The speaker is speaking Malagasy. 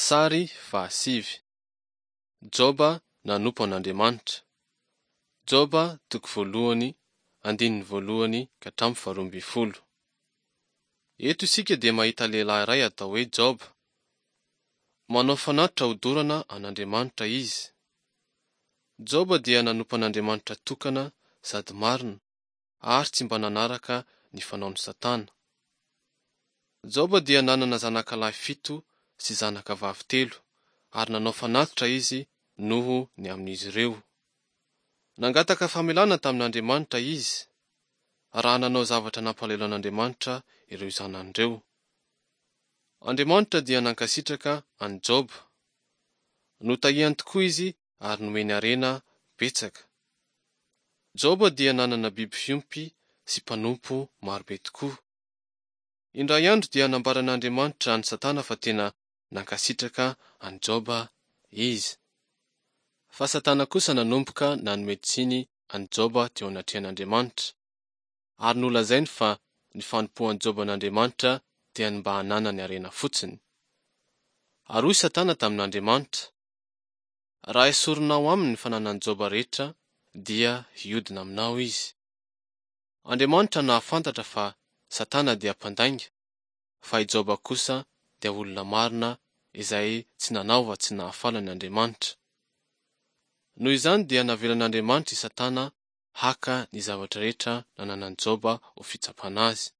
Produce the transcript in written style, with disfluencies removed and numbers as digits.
Sary fahasivy. Joba nanompo an'Andriamanitra. Joba toko voalohany, andininy voalohany ka hatramin'ny faharoa ambin'ny folo. Eto isika dia mahita lehilahy iray atao hoe Joba. Manao fanatitra hodorana an'Andriamanitra izy. Joba dia nanompo an'Andriamanitra tokana sady marina ary tsy mba nanaraka ny fanaon'i Satana. Joba dia nanana zanakalahy fito sy zanakavavy telo ary nanao fanatitra izy noho ny amin'izy ireo. Nangataka famelana tamin'Andriamanitra izy raha nanao zavatra nampalahelo an'Andriamanitra ireo zanany ireo. Andriamanitra dia nankasitraka an'i Joba. Notahiany tokoa izy ary nomeny harena betsaka. Joba dia nanana biby fiompy sy mpanompo marobe tokoa. Indray andro dia nambaran'Andriamanitra an'i Satana fa tena nankasitraka an'i Joba izy. Fa Satana kosa nanomboka nanome tsiny an'i Joba teo anatrehan'Andriamanitra, ary nolazainy fa ny fanompoan'i Joba an'Andriamanitra dia ny mba hananany harena fotsiny. Ary hoy Satana tamin'Andriamanitra, Raha esorinao aminy ny fananan'i Joba rehetra, dia hiodina aminao izy. Andriamanitra nahafantatra fa Satana dia mpandainga, fa i Joba kosa dia olona marina izay tsy nanaova tsy nahafaly an' Andriamanitra. Noho izany dia navelan'Andriamanitra i Satana haka ny zavatra rehetra nananan'i Joba ho fitsapana azy.